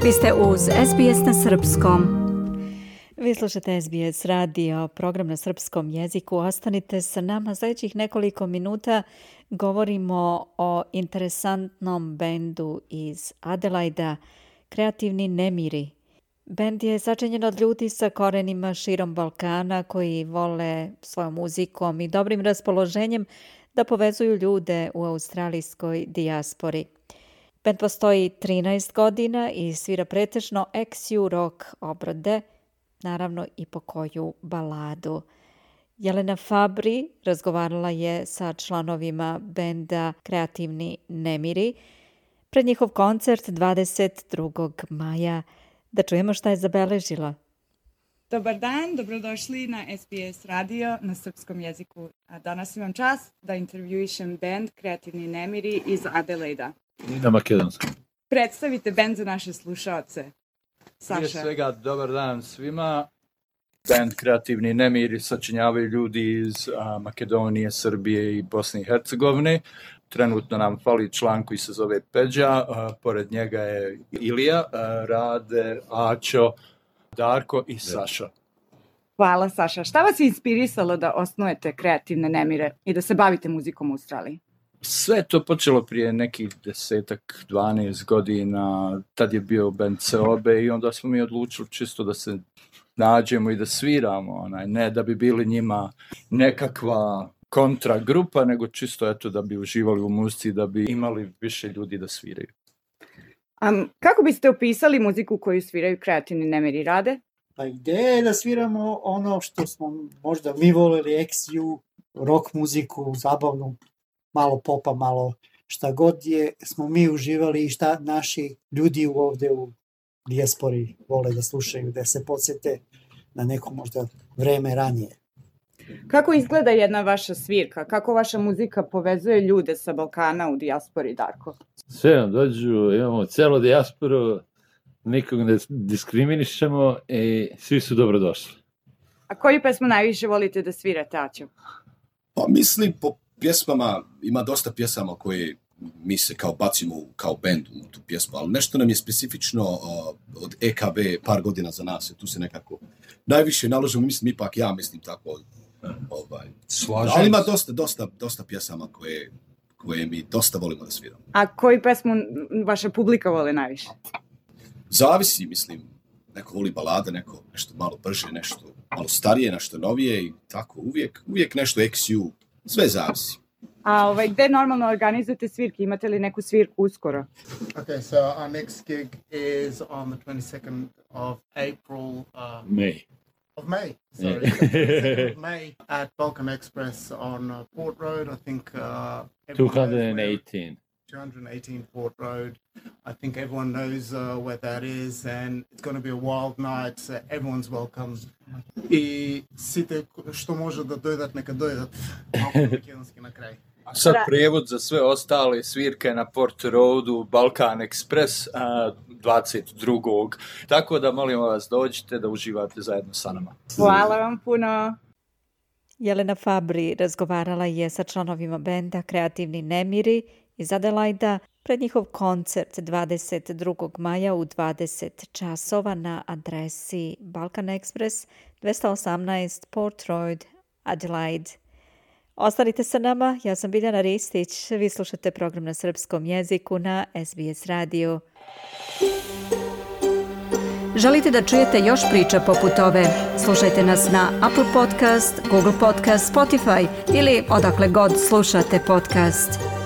Vi ste uz SBS na srpskom. Vi slušate SBS radio, program na srpskom jeziku. Ostanite sa nama sljedećih nekoliko minuta. Govorimo o interesantnom bendu iz Adelaida, Kreativni nemiri. Bend je sačinjen od ljudi sa korenima širom Balkana koji vole svojom muzikom i dobrim raspoloženjem da povezuju ljude u australijskoj dijaspori. Bend postoji 13 godina i svira pretežno ex-ju rock obrade, naravno i po koju baladu. Jelena Fabri razgovarala je sa članovima benda Kreativni nemiri pred njihov koncert 22. maja. Da čujemo šta je zabeležila. Dobar dan, dobrodošli na SBS radio na srpskom jeziku. A danas imam čast da intervjuišem bend Kreativni nemiri iz Adelaida. I na makedonskom. Predstavite bend za naše slušaoce. Saša. Prije svega, dobar dan svima. Bend Kreativni nemiri sačinjavaju ljudi iz Makedonije, Srbije i Bosne i Hercegovine. Trenutno nam fali član koji se zove Peđa, pored njega je Ilija, Rade, Ačo, Darko i Saša. Hvala Saša. Šta vas je inspirisalo da osnujete Kreativne nemire i da se bavite muzikom u Australiji? Sve je to počelo prije nekih 10-12 godina, tad je bio band Seobe i onda smo mi odlučili čisto da se nađemo i da sviramo, ne da bi bili njima nekakva kontra grupa, nego čisto eto da bi uživali u muzici, da bi imali više ljudi da sviraju. Kako biste opisali muziku koju sviraju Kreativni nemiri? Rade? Pa ideja je da sviramo ono što smo možda mi voleli, ex-ju, rock muziku, zabavnu, malo popa, malo šta god je, smo mi uživali i šta naši ljudi ovdje u dijaspori vole da slušaju, da se podsjete na neko možda vreme ranije. Kako izgleda jedna vaša svirka? Kako vaša muzika povezuje ljude sa Balkana u dijaspori, Darko? Sve nam dođu, imamo celu dijasporu, nikog ne diskriminišemo i svi su dobrodošli. A koju pesmu najviše volite da svirate, Aćo? Pa mislim, po pjesmama ima dosta pjesama koje mi se kao bacimo kao band u tu pjesmu, ali nešto nam je specifično od EKB par godina za nas, tu se nekako najviše naložimo, mislim ipak ja mislim tako. Ali ima dosta pjesama koje mi dosta volimo da sviramo. A koju pesmu vaša publika voli najviše? Zavisi, mislim. Neko voli balade, neko nešto malo brže, nešto malo starije, nešto novije i tako. Uvijek nešto ex-ju, sve zavisi. A gde normalno organizujete svirke? Imate li neku svirku uskoro? Okay, so our next gig is on the 22nd of April. May. Of May, sorry. 22nd of May at Balkan Express on Port Road. I think 218. 218 Port Road. I think everyone knows where that is, and it's going to be a wild night. So everyone's welcome. I site što može da dojdat, neka dojdat. Malko makedonski na kraj. A sad prijevod za sve ostale svirke na Port Roadu, Balkan Express 22. Tako da molimo vas dođite da uživate zajedno sa nama. Hvala vam puno. Jelena Fabri razgovarala je sa članovima benda Kreativni nemiri iz Adelaida pred njihov koncert 22. maja u 20 časova na adresi Balkan Express 218 Port Road, Adelaide. Ostanite sa nama, ja sam Biljana Ristić, vi slušate program na srpskom jeziku na SBS radio. Želite da čujete još priča poput ove? Slušajte nas na Apple Podcast, Google Podcast, Spotify ili odakle god slušate podcast.